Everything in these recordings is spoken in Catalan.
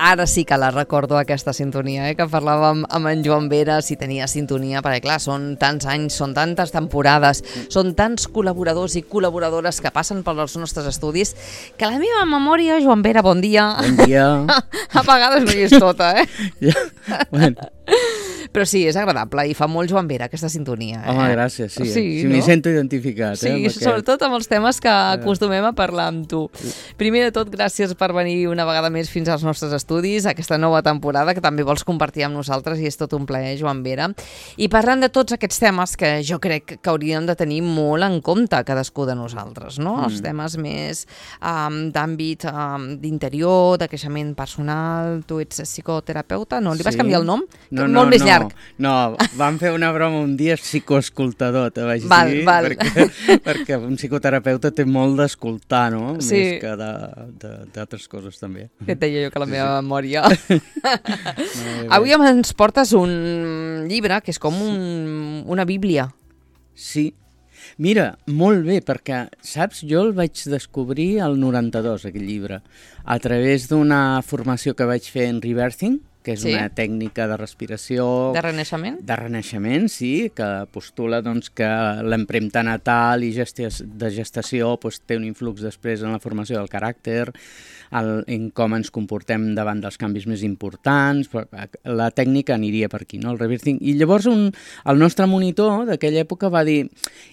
Ara sí que la recordo, aquesta sintonia, que parlàvem amb en Joan Vera, si tenia sintonia, perquè clar, són tants anys, són tantes temporades, són tants col·laboradors i col·laboradores que passen pels nostres estudis, que la meva memòria, Joan Vera, bon dia. Bon dia. A vegades no hi és tota, Ja, bueno. Però sí, és agradable i fa molt Joan Vera aquesta sintonia. Home, gràcies, sí. Sí, sí, m'hi sento identificat. Sí, sobretot amb els temes que acostumem a parlar amb tu. Primer de tot, gràcies per venir una vegada més fins als nostres estudis, aquesta nova temporada que també vols compartir amb nosaltres i és tot un plaer, Joan Vera. I parlant de tots aquests temes que jo crec que hauríem de tenir molt en compte cadascú de nosaltres, no? Els temes més d'àmbit d'interior, de creixement personal. Tu ets psicoterapeuta, no? Li vas canviar el nom? Molt més llarg. No, vam fer una broma un dia, psicoescoltador, te vaig dir, perquè un psicoterapeuta té molt d'escoltar, no? Sí. Més que d'altres coses, també. Que et deia jo que la meva memòria. Avui ens portes un llibre que és com una bíblia. Sí. Mira, molt bé, perquè, saps, jo el vaig descobrir al 92, aquest llibre, a través d'una formació que vaig fer en Rebirthing, que és una tècnica de respiració... De renaixement? De renaixement, sí, que postula doncs, que l'empremta natal i de gestació té un influx després en la formació del caràcter, en com ens comportem davant dels canvis més importants. La tècnica aniria per aquí, no? El Rebirthing. I llavors el nostre monitor d'aquella època va dir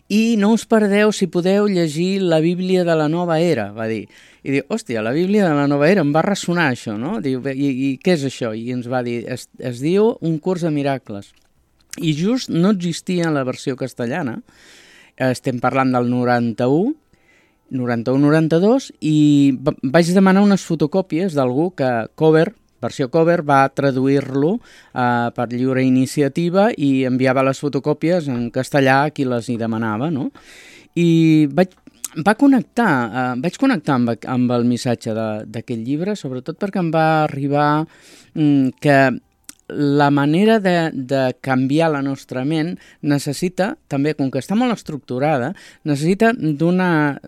i no us perdeu si podeu llegir la Bíblia de la Nova Era, va dir. I diu, hòstia, la Bíblia de la Nova Era, em va ressonar això, no? Diu, i què és això? I ens va dir, es diu Un curs de miracles. I just no existia en la versió castellana, estem parlant del 91-92, i vaig demanar unes fotocòpies d'algú que versió cover, va traduir-lo per lliure iniciativa i enviava les fotocòpies en castellà a qui les hi demanava, no? I vaig connectar amb el missatge d'aquest llibre, sobretot perquè em va arribar que la manera de canviar la nostra ment necessita, també, com que està molt estructurada, necessita d'una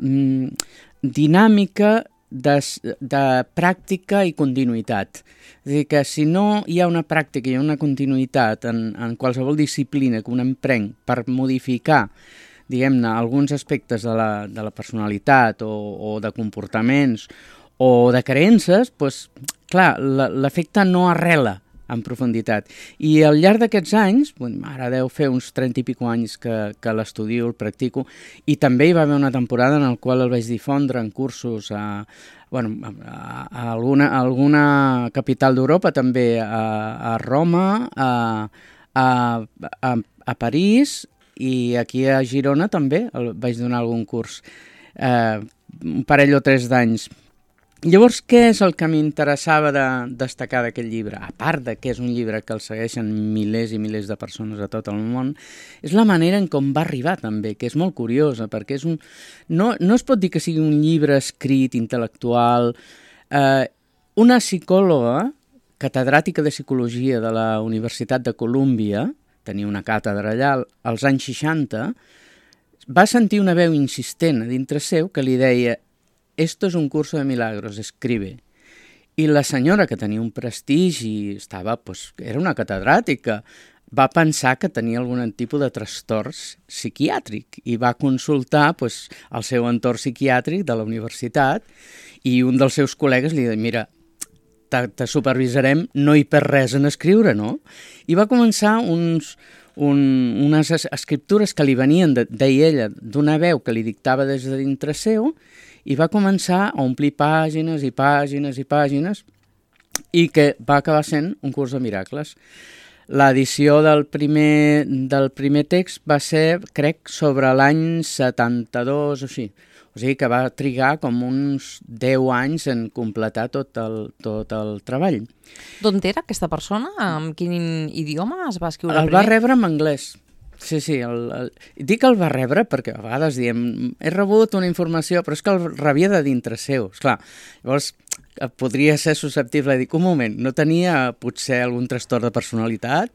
dinàmica de pràctica i continuïtat. És a dir, que si no hi ha una pràctica i una continuïtat en qualsevol disciplina que un emprenc per modificar, diguem-ne, alguns aspectes de la personalitat o de comportaments o de creences, doncs, clar, l'efecte no arrela en profunditat. I al llarg d'aquests anys, ara deu fer uns 30 i pico anys que l'estudio, el practico, i també hi va haver una temporada en la qual el vaig difondre en cursos a alguna capital d'Europa, també a Roma, a París, i aquí a Girona també vaig donar algun curs, un parell o 3 d'anys. Llavors, què és el que m'interessava de destacar d'aquest llibre? A part de que és un llibre que el segueixen milers i milers de persones a tot el món, és la manera en com va arribar també, que és molt curiosa, perquè no es pot dir que sigui un llibre escrit, intel·lectual. Una psicòloga, catedràtica de psicologia de la Universitat de Colúmbia, tenia una càtedra allà, als anys 60, va sentir una veu insistent a dintre seu que li deia «Esto es un curso de milagros, escribe». I la senyora, que tenia un prestigi, era una catedràtica, va pensar que tenia algun tipus de trastorn psiquiàtric i va consultar el seu entorn psiquiàtric de la universitat i un dels seus col·legues li deia «Mira, te supervisarem, no hi perd res en escriure, no?» I va començar unes escriptures que li venien, deia ella, d'una veu que li dictava des de dintre seu, i va començar a omplir pàgines i pàgines i pàgines, i que va acabar sent un curs de miracles. L'edició del primer text va ser, crec, sobre l'any 72 o així. O sigui que va trigar com uns 10 anys en completar tot el treball. D'on era aquesta persona? En quin idioma es va escriure primer? El va rebre en anglès. Sí. Dic el va rebre perquè a vegades diem he rebut una informació, però és que el rebia de dintre seu. Esclar, llavors podria ser susceptible de dir un moment, no tenia potser algun trastorn de personalitat?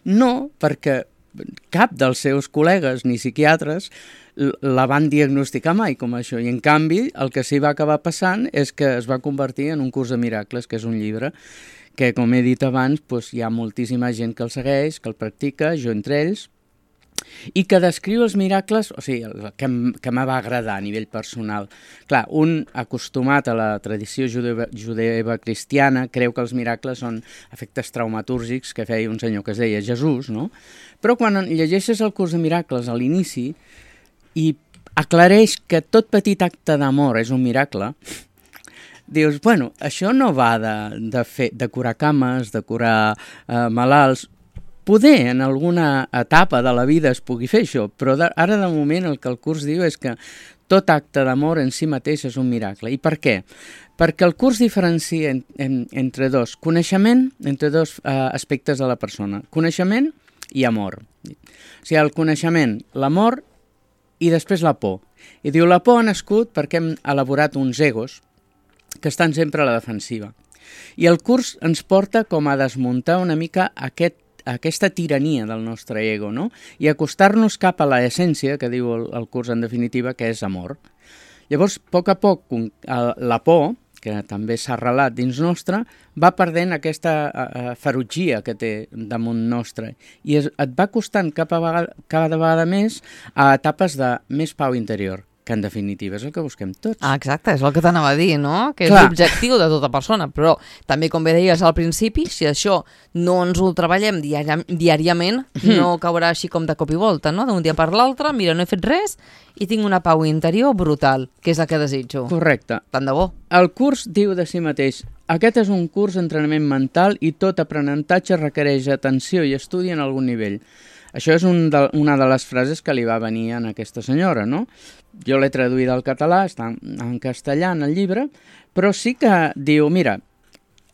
No, perquè cap dels seus col·legues ni psiquiatres la van diagnosticar mai com això, i en canvi el que s'hi va acabar passant és que es va convertir en un curs de miracles, que és un llibre que, com he dit abans, doncs, hi ha moltíssima gent que el segueix, que el practica, jo entre ells, i que descriu els miracles, o sigui, que me va agradar a nivell personal. Clar, un acostumat a la tradició judeva-cristiana creu que els miracles són efectes traumatúrgics que feia un senyor que es deia Jesús, no? Però quan llegeixes el curs de miracles a l'inici i aclareix que tot petit acte d'amor és un miracle, dius, bueno, això no va de curar cames, de curar malalts. Poder en alguna etapa de la vida es pugui fer això, però ara de moment el que el curs diu és que tot acte d'amor en si mateix és un miracle. I per què? Perquè el curs diferencia entre dos coneixement, entre dos aspectes de la persona, coneixement i amor. O sigui, el coneixement, l'amor i després la por. I diu, la por ha nascut perquè hem elaborat uns egos que estan sempre a la defensiva. I el curs ens porta com a desmuntar una mica aquesta tirania del nostre ego, no? I acostar-nos cap a l'essència, que diu el curs en definitiva, que és amor. Llavors, a poc, la por, que també s'ha arrelat dins nostre, va perdent aquesta ferotgia que té damunt nostre i et va costant cada vegada més a etapes de més pau interior, que en definitiva és el que busquem tots. Ah, exacte, és el que t'anava a dir, no? Que és l'objectiu de tota persona, però també, com bé deies al principi, si això no ens ho treballem diàriament, no caurà així com de cop i volta, no? D'un dia per l'altre, mira, no he fet res i tinc una pau interior brutal, que és el que desitjo. Correcte. Tant de bo. El curs diu de si mateix, aquest és un curs d'entrenament mental i tot aprenentatge requereix atenció i estudi en algun nivell. Això és una de les frases que li va venir a aquesta senyora, no? Jo l'he traduït al català, està en castellà en el llibre, però sí que diu, mira,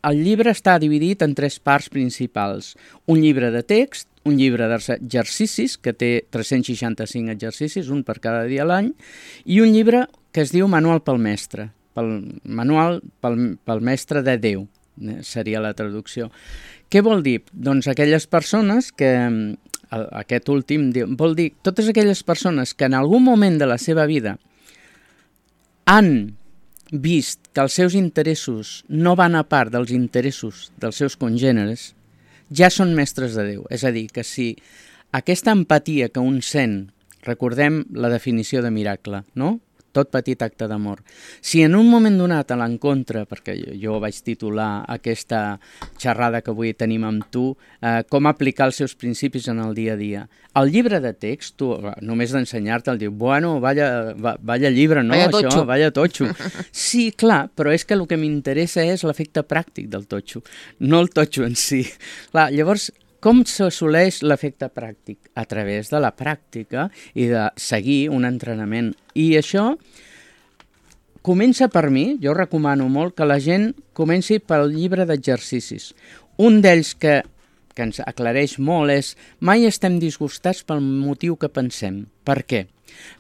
el llibre està dividit en 3 parts principals. Un llibre de text, un llibre d'exercicis, que té 365 exercicis, un per cada dia a l'any, i un llibre que es diu Manual pel mestre, Manual pel mestre de Déu, seria la traducció. Què vol dir? Doncs aquelles persones que... Aquest últim vol dir totes aquelles persones que en algun moment de la seva vida han vist que els seus interessos no van a part dels interessos dels seus congèneres, ja són mestres de Déu. És a dir, que si aquesta empatia que un sent, recordem la definició de miracle, no? Tot petit acte d'amor. Si en un moment donat a l'encontre, perquè jo vaig titular aquesta xerrada que avui tenim amb tu, com aplicar els seus principis en el dia a dia. El llibre de text, tu, només d'ensenyar-te'l, diu, bueno, vaya llibre, no? Vaya totxo. Això, vaya totxo. Sí, clar, però és que el que m'interessa és l'efecte pràctic del totxo, no el totxo en si. Clar, llavors, com s'assoleix l'efecte pràctic? A través de la pràctica i de seguir un entrenament. I això comença per mi, jo recomano molt que la gent comenci pel llibre d'exercicis. Un d'ells que ens aclareix molt és mai estem disgustats pel motiu que pensem. Per què?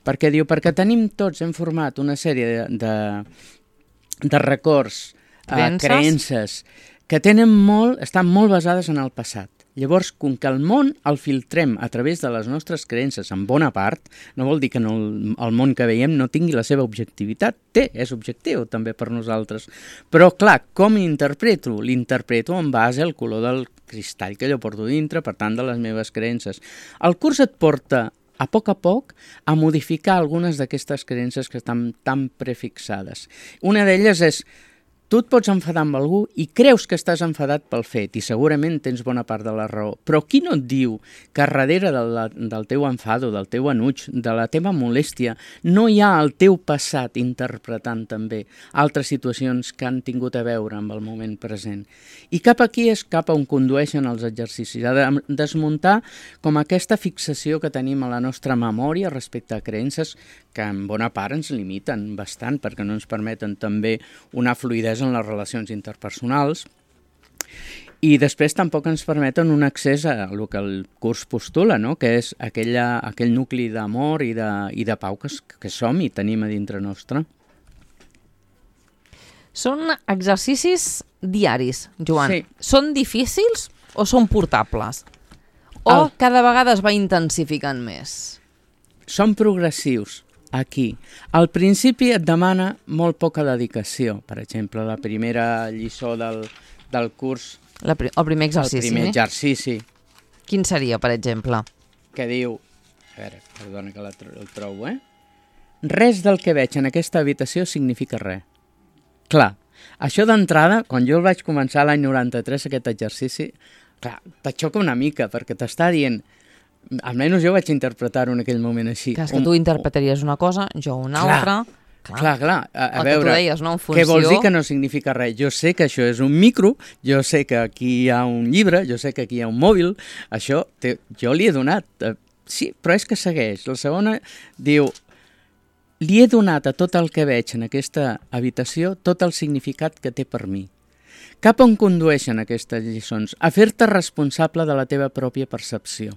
Perquè diu, perquè tenim tots, hem format una sèrie de records, creences, que estan molt basades en el passat. Llavors, com que el món el filtrem a través de les nostres creences en bona part, no vol dir que el món que veiem no tingui la seva objectivitat. És objectiu també per nosaltres. Però, clar, com l'interpreto? L'interpreto en base al color del cristall que jo porto dintre, per tant, de les meves creences. El curs et porta a poc a modificar algunes d'aquestes creences que estan tan prefixades. Una d'elles és: tu et pots enfadar amb algú i creus que estàs enfadat pel fet i segurament tens bona part de la raó. Però qui no et diu que darrere del teu enfado, del teu enuig, de la teva molèstia, no hi ha el teu passat interpretant també altres situacions que han tingut a veure amb el moment present? I cap aquí és cap on condueixen els exercicis, a desmuntar com aquesta fixació que tenim a la nostra memòria respecte a creences que en bona part ens limiten bastant perquè no ens permeten també una fluïdesa en les relacions interpersonals i després tampoc ens permeten un accés a el que el curs postula, no? Que és aquell nucli d'amor i de pau que som i tenim a dintre nostre. Són exercicis diaris, Joan. Sí. Són difícils o són portables? O cada vegada es va intensificant més? Són progressius, aquí. Al principi et demana molt poca dedicació. Per exemple, la primera lliçó del curs... El primer exercici. El primer exercici. Quin seria, per exemple? Que diu... A veure, perdona que el trobo, Res del que veig en aquesta habitació significa res. Clar, això d'entrada, quan jo el vaig començar l'any 93, aquest exercici, clar, te xoca una mica, perquè t'està dient... Almenys jo vaig interpretar-ho en aquell moment així. Clar, és que tu interpretaries una cosa, jo una altra... Clar. A veure, tu deies, no? En funció... Què vols dir que no significa res? Jo sé que això és un micro, jo sé que aquí hi ha un llibre, jo sé que aquí hi ha un mòbil, això jo li he donat. Sí, però és que segueix. La segona diu, li he donat a tot el que veig en aquesta habitació tot el significat que té per mi. Cap on condueixen aquestes lliçons? A fer-te responsable de la teva pròpia percepció.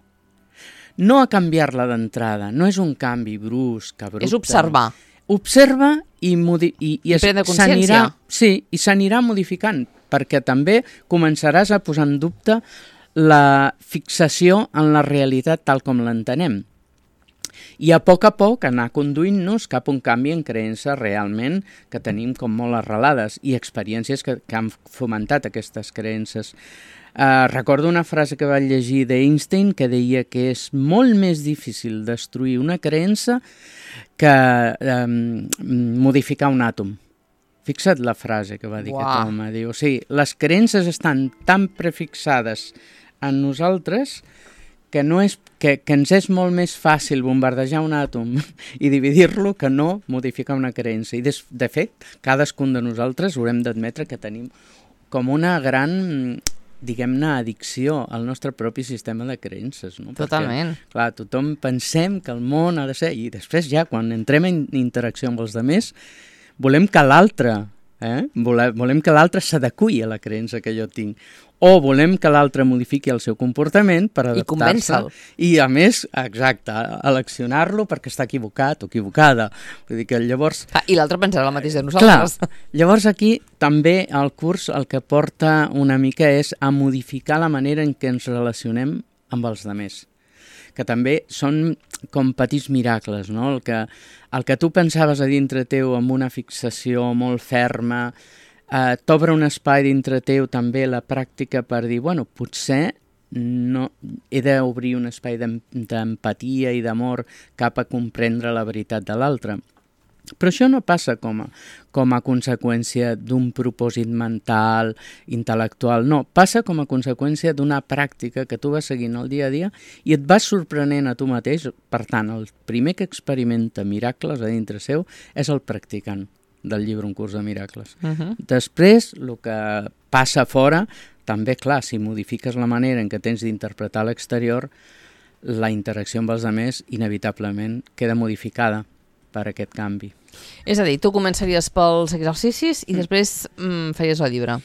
No a canviar-la d'entrada, no és un canvi brusc, abrupte. És observar. Observa i prendre consciència. I s'anirà modificant, perquè també començaràs a posar en dubte la fixació en la realitat tal com l'entenem. I a poc anar conduint-nos cap a un canvi en creences realment que tenim com molt arrelades i experiències que han fomentat aquestes creences. Recordo una frase que vaig llegir d'Einstein que deia que és molt més difícil destruir una creença que modificar un àtom. Fixa't la frase que va dir aquest home. Diu, les creences estan tan prefixades en nosaltres que ens és molt més fàcil bombardejar un àtom i dividir-lo que no modificar una creença. I de fet, cadascun de nosaltres haurem d'admetre que tenim com una gran... diguem-ne, addicció al nostre propi sistema de creences. No? Totalment. Perquè, clar, tothom pensem que el món ha de ser... I després ja, quan entrem en interacció amb els altres, volem que l'altre volem que l'altre s'adeqüi a la creença que jo tinc. O volem que l'altre modifiqui el seu comportament per adaptar-se. I convèncer-lo. I a més, exacte, eleccionar-lo perquè està equivocat o equivocada. Vull dir que llavors... I l'altre pensarà el mateix de nosaltres. Clar, llavors aquí també el curs el que porta una mica és a modificar la manera en què ens relacionem amb els altres, que també són com petits miracles, no? El que tu pensaves a dintre teu amb una fixació molt ferma, t'obre un espai dintre teu també la pràctica per dir, bueno, potser no, he d'obrir un espai d'empatia i d'amor cap a comprendre la veritat de l'altre. Però això no passa com a conseqüència d'un propòsit mental, intel·lectual, no. Passa com a conseqüència d'una pràctica que tu vas seguint el dia a dia i et vas sorprenent a tu mateix. Per tant, el primer que experimenta miracles a dintre seu és el practicant del llibre Un curs de miracles. Després, el que passa fora, també, clar, si modifiques la manera en què tens d'interpretar l'exterior, la interacció amb els altres inevitablement queda modificada per aquest canvi. És a dir, tu començaries pels exercicis i després faries el llibre.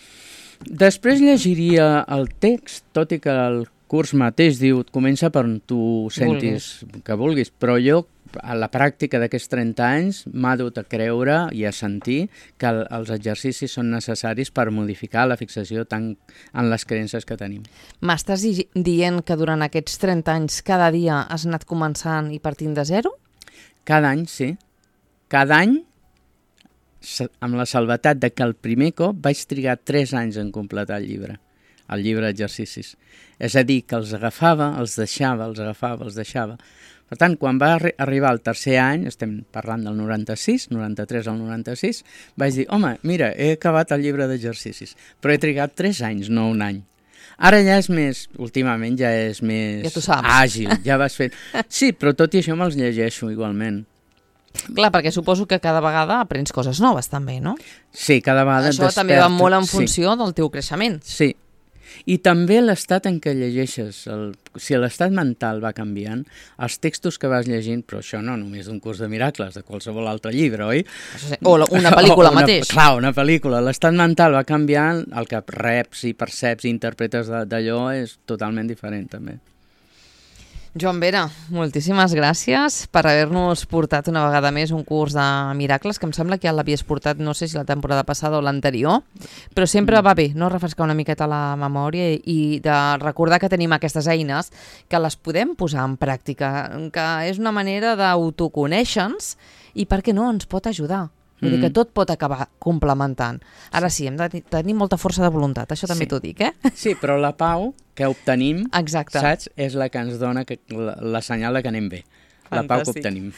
Després llegiria el text, tot i que el curs mateix diu comença per on tu sentis que vulguis, però jo a la pràctica d'aquests 30 anys m'ha dut a creure i a sentir que els exercicis són necessaris per modificar la fixació en les creences que tenim. M'estàs dient que durant aquests 30 anys cada dia has anat començant i partint de zero? Cada any, sí. Cada any, amb la salvetat de que el primer cop vaig trigar 3 anys en completar el llibre d'exercicis. És a dir, que els agafava, els deixava, els agafava, els deixava. Per tant, quan va arribar el tercer any, estem parlant del 96, 93 al 96, vaig dir, home, mira, he acabat el llibre d'exercicis, però he trigat 3 anys, no un any. Ara ja és més, últimament ja és més àgil, ja vas fent... Sí, però tot i això me'ls llegeixo igualment. Clar, perquè suposo que cada vegada aprens coses noves també, no? Sí, cada vegada això desperta. També va molt en funció del teu creixement. Sí, i també l'estat en què llegeixes. Si l'estat mental va canviant, els textos que vas llegint, però això no només d'un curs de miracles, de qualsevol altre llibre, oi? O una pel·lícula mateix. Clar, una pel·lícula. L'estat mental va canviant, el que reps i perceps i interpretes d'allò és totalment diferent també. Joan Vera, moltíssimes gràcies per haver-nos portat una vegada més un curs de miracles, que em sembla que ja l'havies portat, no sé si la temporada passada o l'anterior, però sempre va bé, no?, refrescar una miqueta la memòria i de recordar que tenim aquestes eines, que les podem posar en pràctica, que és una manera d'autoconèixer-nos i, per què no, ens pot ajudar. Vull dir que tot pot acabar complementant. Ara sí, hem de tenir molta força de voluntat, això també t'ho dic, Sí, però la pau que obtenim, exacte, saps, és la que ens dona la senyal de que anem bé. La pau que obtenim.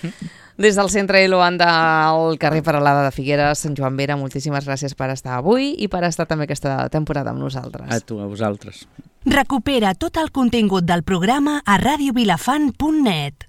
Des del Centre Eloan del carrer Peralada de Figueres, Sant Joan Vera, moltíssimes gràcies per estar avui i per estar també aquesta temporada amb nosaltres. A tu, a vosaltres. Recupera tot el contingut del programa a radiovilafant.net.